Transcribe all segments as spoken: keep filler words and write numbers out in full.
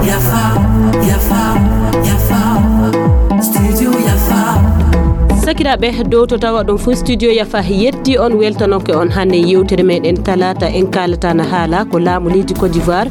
Yafa, yafa, yafa. Studio yafa. Sakiraaɓe, dow to tawa ɗum fuu, studio yafa yetti on, weltanoke on hannde yewtere meɗen talaata. En kaalata na haala ko laamu leydi Côte d'Ivoire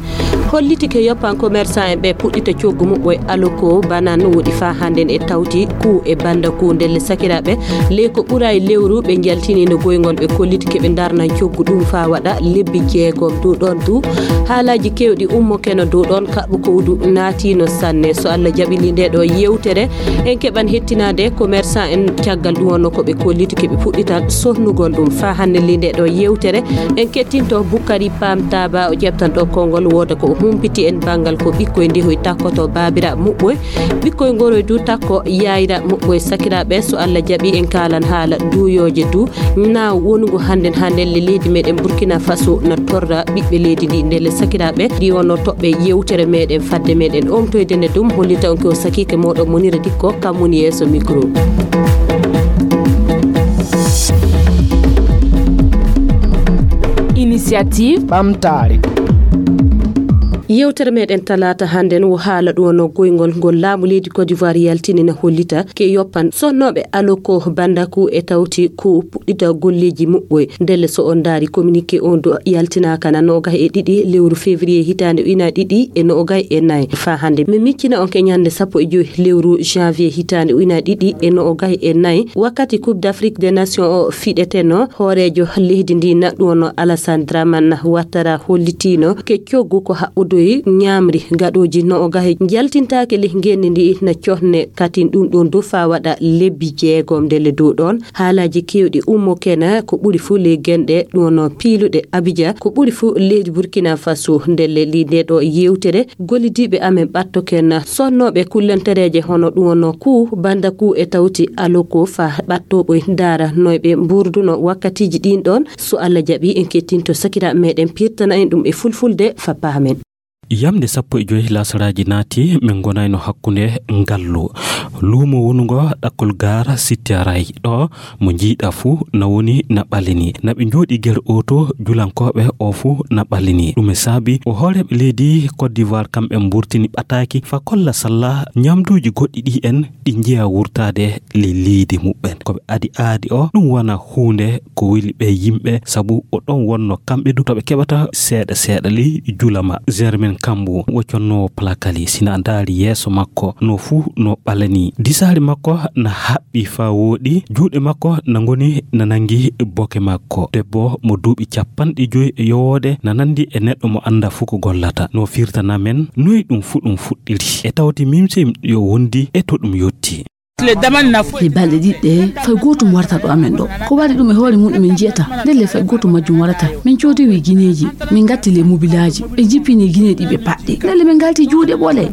holliti ke yoppan commerçant en ɓe puɗɗita coggu muɓɓo e aloko banan woɗi faa hannden e tawti ku e banda ku. Ndelle sakiraaɓe, ley ko ɓuray lewru ɓe njaltini no goyngol ɓe kolliti ke ɓe ndarnan coggu ɗum faa waɗa lebbi jeegom. Dow ɗon du haalaaji kewɗi ummo keno dow ɗon kaɓɓu kowdu naatino sanne. So Allah jaɓili nde ɗo yewtere, en keɓan hettinaade commerçant en caggal ɗum wonno ko ɓe kolliti ke ɓe puɗɗitan sonnugol ɗum. Faa hannde li nde ɗo yewtere, en kettinto Bukkari Pam Taba, o ƴeftan ɗo konngol wooda ko o humpiti en banngal ko ɓikkoy ndehoy takkoto baabira muɓɓoy. Ɓikkoy ngoroy du takko yayra muɓɓoy. Sakiraaɓe, so Allah jaɓi en kaalan haala duuyooje du. Naaw wonungo hannden haa ndelle leydi meɗen Burkina Faso na torra ɓiɓɓe leydi ndi. Ndelle sakiraaɓe, ɗi wonno toɓɓe yewtere meɗen fadde meɗen omtoyde nde dum hollita on ko sakiike moɗon Monira Dikko, kam woni yeeso micro. Initiative ɓamtaare. Yewtere meɗen talaata hannden wo haala ɗum wonno goyngol ngol laamu leydi Côte d'Ivoire yaltini na hollita ke yoppan sonnooɓe aloko bandaku e tawti ko puɗɗita golleeji muɓɓoy. Ndelle so on ndaari communiqué on du yaltinaaka na noogay e ɗiɗi lewru février hitaande ujunaaji ɗiɗi e noogay e nayi. Faa hannde mi miccina on ke ñannde sappo e joy lewru janvier hitaande ujunaaji ɗiɗi e noogay e nayi, wakkati Coupe d'Afrique des Nations o fiɗeteno, hooreejo leydi ndi na ɗum wonno Alassane Dramane Ouattara hollitino ke coggu ko haɓɓudoyi ñaamri gaɗooji noogay njaltintaake ley ngenndi ndi na cohne katin ɗum ɗon du faa waɗa lebbi jeegom. Ndelle dow ɗon haalaaji keewɗi ummo kena ko ɓuri fuu ley genɗe ɗum wonno piiluɗe Abidjan ko ɓuri fuu leydi Burkina Faso. Ndelle li nde ɗo yewtere gollidiiɓe amen ɓatto kena sonnooɓe kullantereeje hono ɗum wonno ku banda ku e tawti aloko faa ɓattoɓoy ndaara noy ɓe mburduno wakkatiiji ɗin ɗon. So Allah jaɓi en kettinto sakiraaɓe meɗen pirtana en ɗum e fulfulde faa paamen. Yamnde sappo e joy laasaraaji naati, min ngonayno hakkunde ngallu. Luumo wonungo ɗakkol gaar Sitiaray ɗo mo njiiɗa fuu na woni na ɓalini. Na ɓe njooɗi ger oto julankooɓe o fuu na ɓalini. Ɗum e saabi o hooreeɓe leydi Côte d'Ivoire kamɓe mburtini ɓataaki faa kolla salla ñamduuji goɗɗi ɗi en ɗi njeya wurtaade ley leydi muɓɓen. Ko ɓe adi aadi o, ɗum wona huunde ko weli ɓe yimɓe, sabu o ɗon wonno kamɓe du to ɓe keɓata seeɗa seeɗa ley julama. Germain Kambu, wo connoowo Plakali, si na ndaari yeeso makko, no fuu no ɓalani. Disaali makko na haɓɓi faa wooɗi, juuɗe makko na ngoni na nangi boke makko. Debbo mo duuɓi capanɗe joy e yowoode na nandi e neɗɗo mo annda fuu ko gollata. No firtana men noy ɗum fuu ɗum fuɗɗiri. E tawti mimse yo wondi e to ɗum yotti. He balɗe ɗiɗi ɗe, fay gootum warata ɗo amen ɗo. Ko waɗi ɗum e hoore muɗum en njiyata. Ndelle fay gootum majjum warata. Min coodiwi gineeji, min ngatti le mobilaaji. Ɓe jippini gineeji ɗi ɓe paɗɗi. Ndelle min ngalti juuɗe ɓole.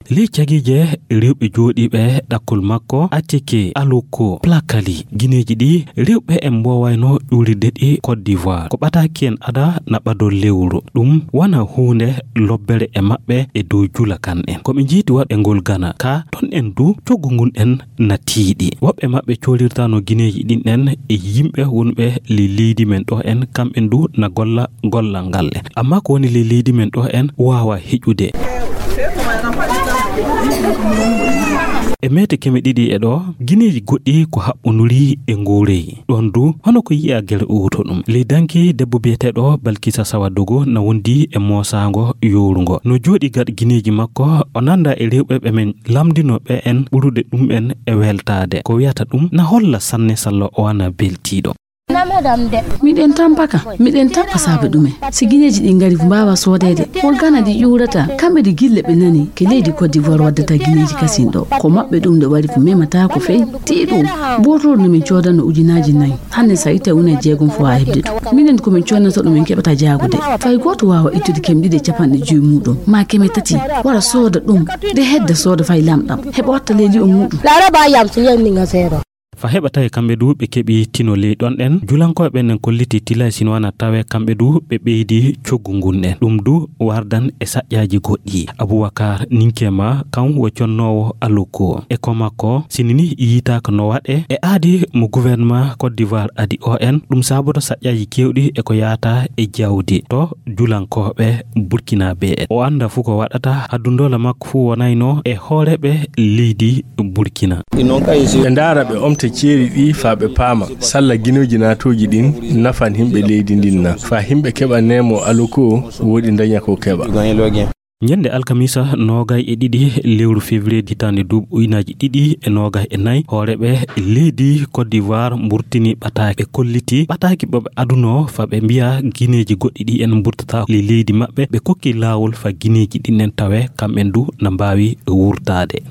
Ley cagiije rewɓe jooɗiiɓe ɗakkol makko, Ateke, Aloko, Plakali, gineeji ɗi rewɓe en mboowayno ƴuurirde ɗi Côte d'Ivoire. Ko ɓataaki en ada na ɓadol lewru. Ɗum wona huunde lobbere e maɓɓe e dow jula kan en. Ko ɓe njiiti waɗɓe ngol Gana. Ka ton en du coggu ngun en na tiiɗi. Woɓɓe maɓɓe coorirtaano gineeji ɗin en e yimɓe wonɓe ley leydi men ɗo en, kamɓen du na golla gollal ngal en. Amma ko woni ley leydi men ɗo en waawa heƴude. E meete keme ɗiɗi e ɗo, gineeji goɗɗi ko haɓɓonduri e nguurey. Ɗon du, hono ko yi'a gere uwuto ɗum. Ley danki debbo biyeteeɗo Balkisa Sawadogo na wondi e moosaango yoorungo. No jooɗi gaɗa gineeji makko, o nanda e rewɓe ɓe men lamndino ɓe en ɓurude ɗum en e weltaade. Ko wiyata ɗum na holla sanne salla o wana beltiiɗo. Miɗen tampaka, miɗen tampa saabe ɗumen. Si gineeji ɗi ngari ko mbaawa soodeede, won Gana ɗi ƴuurata, kamɓe ɗi gille ɓe nani, ke leydi Côte d'Ivoire waddata gineeji kasin ɗo. Ko maɓɓe ɗum nde wari ko memata ko fey. Tii ɗum, bootol no min coodano ujunaaji nayi. Hannde sa itta una e jeegom fo a heɓde ɗum. Minen ko min coodnata ɗum en keɓata jaagude. Fay gooto waawa ittude keme ɗiɗi e capanɗe joy muɗum, ma keme tati, wara sooda ɗum, de hedda sooda fay lamɗam, heɓa watta ley li'o muɗum. Laraba yam si yen ninga seeɗa. Fa heɓa tawi kamɓe du ɓe keɓi tino ley ɗon ɗen, julankooɓe ɓen en kolliti tilay sino wana tawe kamɓe du ɓe ɓeydi coggu ngun ɗen. Ɗum du wardan e saƴƴaaji goɗɗi. Abubakar Ninkema kan wo connoowo Aloko. E ko makko, sini ni yiitaaka no waɗe e aadi mo gouvernement Côte d'Ivoire adi o en, ɗum saaboto saƴƴaaji keewɗi e ko yaata e jawdi to julankooɓe Burkinabé en. O annda fu ko waɗata, haddundoola makko fu wonayno e hooreeɓe leydi Burkina. Ɓe ndaara ɓe omta ceeri ɗi faa ɓe paama salla ginooji naatooji ɗin nafan himɓe leydi ndin na, faa himɓe keɓa neemo Aloko woodi ndaña ko keɓa. Ñande alkamisa noogay e ɗiɗi lewru février hitaande duuɓi ujunaaji ɗiɗi e noogay e nayi, hooreeɓe leydi Côte d'Ivoire mburtini ɓataaki. Ɓe kolliti ɓataaki ɓe ɓe adunoo faa ɓe mbiya gineeji goɗɗi ɗi en mburtata ley leydi maɓɓe. Ɓe kokki laawol faa gineeji ɗin en tawe kamɓen du na mbaawi wurtaade.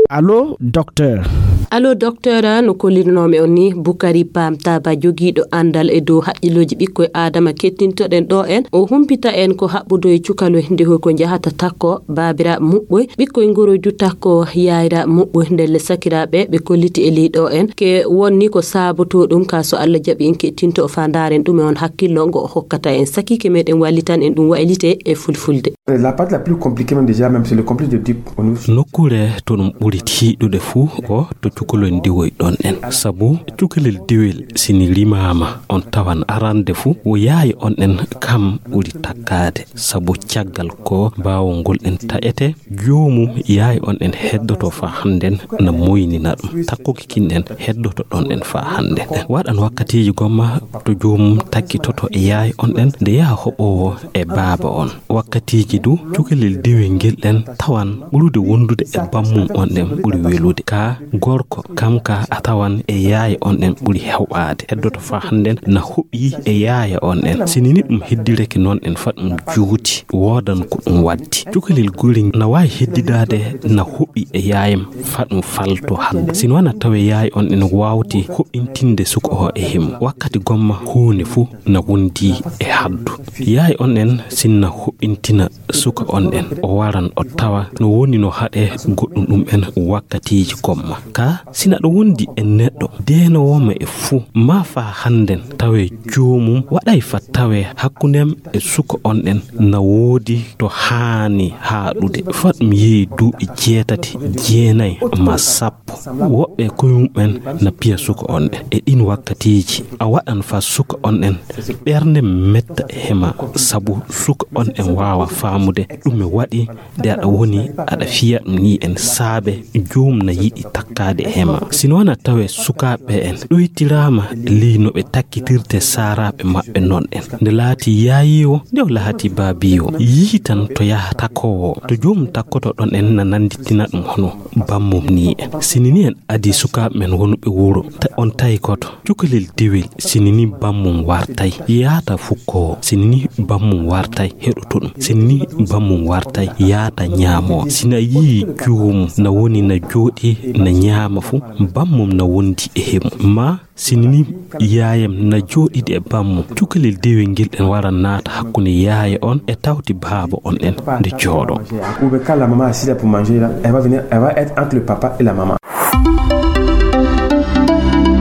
Allo, docteur. Allo, docteur, no kollirnoomi on ni, Bukari Pam Taba, jogiiɗo anndal e dow haqqillooji ɓikkoy Aadama, kettintoɗen ɗo en. O humpita en ko haɓɓudo e cukalel nde hoy ko njahata takko baabiraaɓe muɓɓoy, ɓikkoy ngoroy du takko yaayiraaɓe muɓɓoy, ndelle sakiraaɓe ɓe kolliti e ley ɗo en. Ke wonni ko saabotoo ɗum ka so Alla jaɓi en kettinto o faa ndaaren ɗum e on hakkillo ngo o hokkata en. Sakiike meɗen wallitan en ɗum waylite e fulfulde. La partie la plus compliquée même déjà, même c'est le complexe de Oedipe au niveau. Nokkuure to ɗum ɓuri tiiɗude fuu ko to cukalel diwoy ɗon en. Sabu cukalel diwel sini rimaama on tawan arande fuu wo yaaye on en kam ɓuri takkaade. Sabu caggal ko baawol ngol en taƴete, joomum yaaye on en heddoto faa hannden na moynina ɗum. Takkuki kin en heddoto ɗon en faa hannden. Waɗan wakkatiiji gomma to joomum takkitoto e yaaye on en nde yaha hoɓoowo e baaba on. Wakkatiiji du, cukalel dewel ngel ɗen tawan ɓurude wondude e bammum on ɗen ɓuri welude. Ka gorko, kam ka a tawan e yaaye on ɗen ɓuri heɓaade. Heddoto faa hannden na hoɓi e yaaye on ɗen. Sini ni ɗum heddireke non en faa ɗum juuti, woodan ko ɗum waddi. Cukalel guri na waawi heddidaade na hoɓi e yaayam faa ɗum falto hande. Sino wana tawe yaaye on ɗen waawti hoɓintinde suka o e himo. Wakkati gomma huunde fuu na wondi e haddu. Yaaye on en sinna hoɓɓintina suka on en, o waran o tawa no woni no haɗe goɗɗum ɗum en wakkatiiji gomma. Ka sina ɗo wondi e neɗɗo deenoowo ma e fuu, ma faa hannden tawe joomum waɗay fa tawe hakkundem e suka on en na woodi to haani haaɗude. Faa ɗum yehi duuɓi jeetati, jeenay ma sappo. Woɓɓe koyum'en na piya suka on ɗen. E ɗin wakkatiiji, a waɗan faa suka on ɗen ɓernde metta e hema, sabu suka on ɗen waawa faamude ɗume waɗi nde aɗa woni aɗa fiya ɗum ni en saabe joom na yiɗi takkaade e hema. Sino wana tawe sukaaɓe en ɗoytiraama ley no ɓe takkitirte saaraaɓe maɓɓe non ɗen. Nde laati yaayiiwo, nde o lahati baabiiwo, yiitan to yaha takkoowo, to joom takkoto ɗon en na nanditina ɗum hono bammum ni en. Sini ni en adi sukaaɓe men wonuɓe wuro, ta on tawi koto cukalel dewel, sini ni bammum wartay yaata fukkoowo, sini ni bammum wartay heɗoto ɗum, sini ni bammum wartay yaata ñaamoo. Sina yi'i joomum na woni na jooɗi na ñaama fu, bammum na wondi e hemu. Ma sini ni yaayam na jooɗidi e bammum, cukalel dewel ngel ɗen wara naata hakkunde yaaya on e tawti baaba on ɗen nde jooɗo. Ou bien quand la maman est assise là pour manger là, elle va venir, elle va être entre le papa et la maman.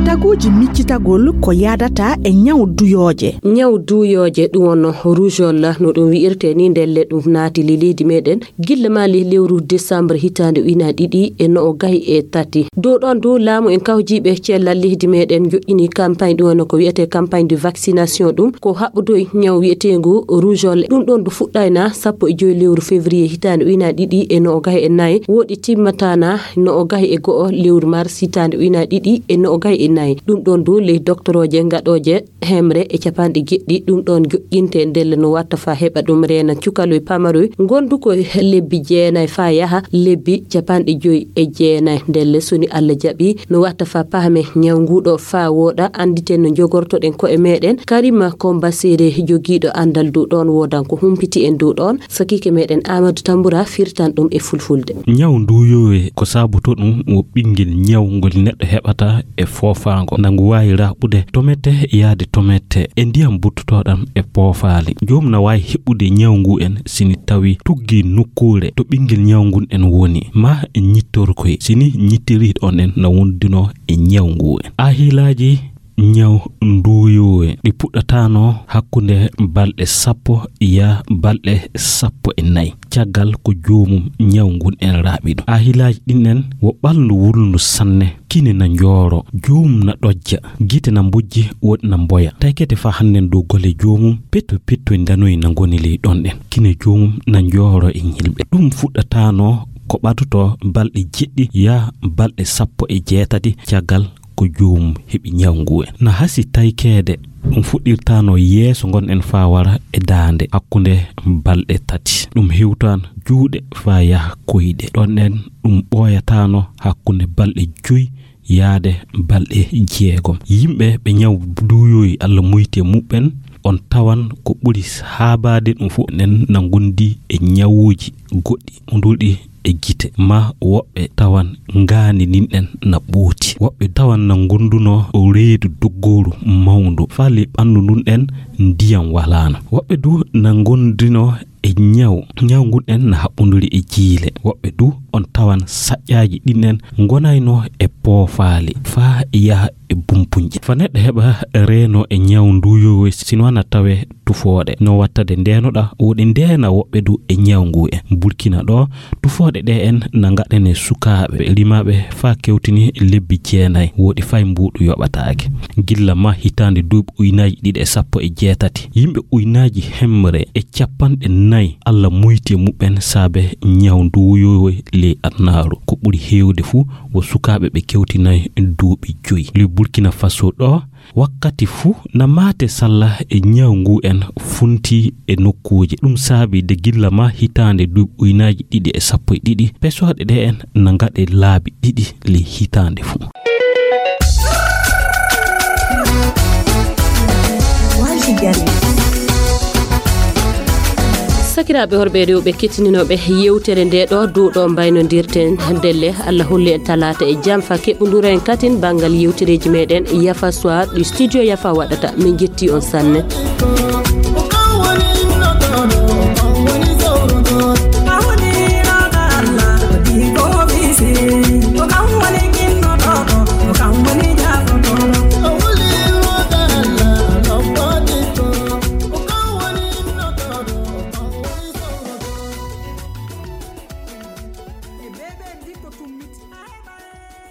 Taguuji miccitagol ko yaadata e ñaw duyooje. Ñaw duyooje, ɗum wonno rougeole, no ɗum wi'irte ni, ndelle ɗum naati le leydi meɗen gilla ma le lewru décembre hitaande ujunaaji ɗiɗi e noogay e tati. Dow ɗon du, laamu en kawjiiɓe cellal leydi meɗen joƴƴini campagne, ɗum wonno ko wi'ete campagne de vaccination, ɗum ko haɓɓudoy ñaw wi'eteengu rougeole. Ɗum ɗon du fuɗɗayna sappo e joy lewru février hitaande ujunaaji ɗiɗi e noogay e nayi, woɗi timmatana noogay e go'o lewru mars hitaande ujunaaji ɗiɗi e noogay e nayi. Ɗum ɗon du, ley doktorooje gaɗooje hemre e capanɗe jeɗɗi, ɗum ɗon joƴƴinte ndelle no watta faa heɓa ɗum reena cukaloy pamaroy, gondu ko lebbi jeenay faa yaha lebbi capanɗe joy e jeenay. Ndelle soni Alla jaɓi, no watta faa pahme ñaw nguɗo faa wooɗa, anditen no jogortoɗen ko'e meɗen. Karima Komba Sere, jogiiɗo andal dow ɗon, woodan ko humpiti en dow ɗon. Sakiike meɗen Amadou Tambura firtan ɗum e fulfulde. Ñaw nduyowe ko saaboto ɗum wo ɓingel ñaw ngol neɗɗo heɓata e foofa Ango, na ngu waawi raɓɓude tomete yaade tomete e ndiyam buttotooɗam e poofaali. Joomum na waawi heɓɓude ñaw ngu en si ni tawi tuggi nokkuure to ɓinngel ñaw ngun en woni, ma ñittorkoy. Si ni ñittiri ɗon en na wondunoo e ñaw ngu en. Ahilaaji ñaw nduuyoowe ɗi puɗɗataano hakkunde balɗe sappo yaa balɗe sappo e nayi. Caggal ko joomum ñaw ngun en raɓɓi ɗum. Ahilaaji ɗin en wo ɓalndu wulndu sanne, kine na njooro, joomum na ɗojja, gite na mbojji, woɗi na mboya. Taykete faa hannden dow golle joomum, petto petto ndanoy na ngoni ley ɗon ɗen. Kine joomum na njooro e ñilɓe. Ɗum fuɗɗataano ko ɓadotoo balɗe jeɗɗi yaa balɗe sappo e jeetati caggal ko joomum heɓi ñaw ngu en. Na hasi taykeede ɗum fuɗɗirtaano yeeso ngon en faa wara e daande hakkunde balɗe tati. Ɗum hewtaan juuɗe faa yaha koyɗe. Ɗon en ɗum ɓooyataano hakkunde balɗe joy yaade balɗe jeegom. Yimɓe ɓe ñaw duuyoyi Alla muyti e muɓɓen, on tawan ko ɓuri haabaade ɗum fof enen na ngondi e ñawuuji goɗɗi, unduɗi e gite, ma woɓɓe tawan ngaandi ndin en na ɓooti. Woɓɓe tawan na ngondunoo reedu doggooru mawndu, faa ley ɓanndu ndun en ndiyam walaano. Woɓɓe du na ngondunoo e ñaw, ñaw ngun en na haɓɓunduri e jiile. Woɓɓe du on tawan saƴƴaaji ɗin en ngonaynoo e poofaali, faa yaha e bumpunje. Faa neɗɗo heɓa reenoo e ñaw nduuyoowe, si no wana tawe tufooɗe. No wattade ndeenoɗa, woɗi ndeena woɓɓe du e ñaw ngu en. Burkina ɗo, tufooɗe ɗe en na ngaɗane sukaaɓe rimaaɓe faa kewtini lebbi jeenay, woɗi fay mbuuɗu yoɓataake. Gilla ma hitaande duuɓi ujunaaji ɗiɗi e sappo e jeetati, yimɓe ujunaaji hemre e capanɗe nayi Alla muyti e muɓɓen saabe ñaw nduuyoowe ley adunaaru. Ko ɓuri heewde fuu wo sukaaɓe ɓe kewtinaay duuɓi joy. Ley Burkina Faso ɗo, wakkati fuu na maate salla e ñaw ngu en funti e nokkuuje. Ɗum saabi de gilla ma hitaande duuɓi ujunaaji ɗiɗi e sappo e ɗiɗi, pesooɗe ɗe en na ngaɗe laabi ɗiɗi ley hitaande fuu. Sakiraaɓe horɓe rewɓe kettininooɓe yewtere nde ɗo, dow ɗo mbaynondirten ndelle. Allah holli en talaata e jam faa keɓɓondiren katin banngal yewtereeji meɗen Yafa Soir ɗi studio Yafa waɗata. Min njetti on sanne.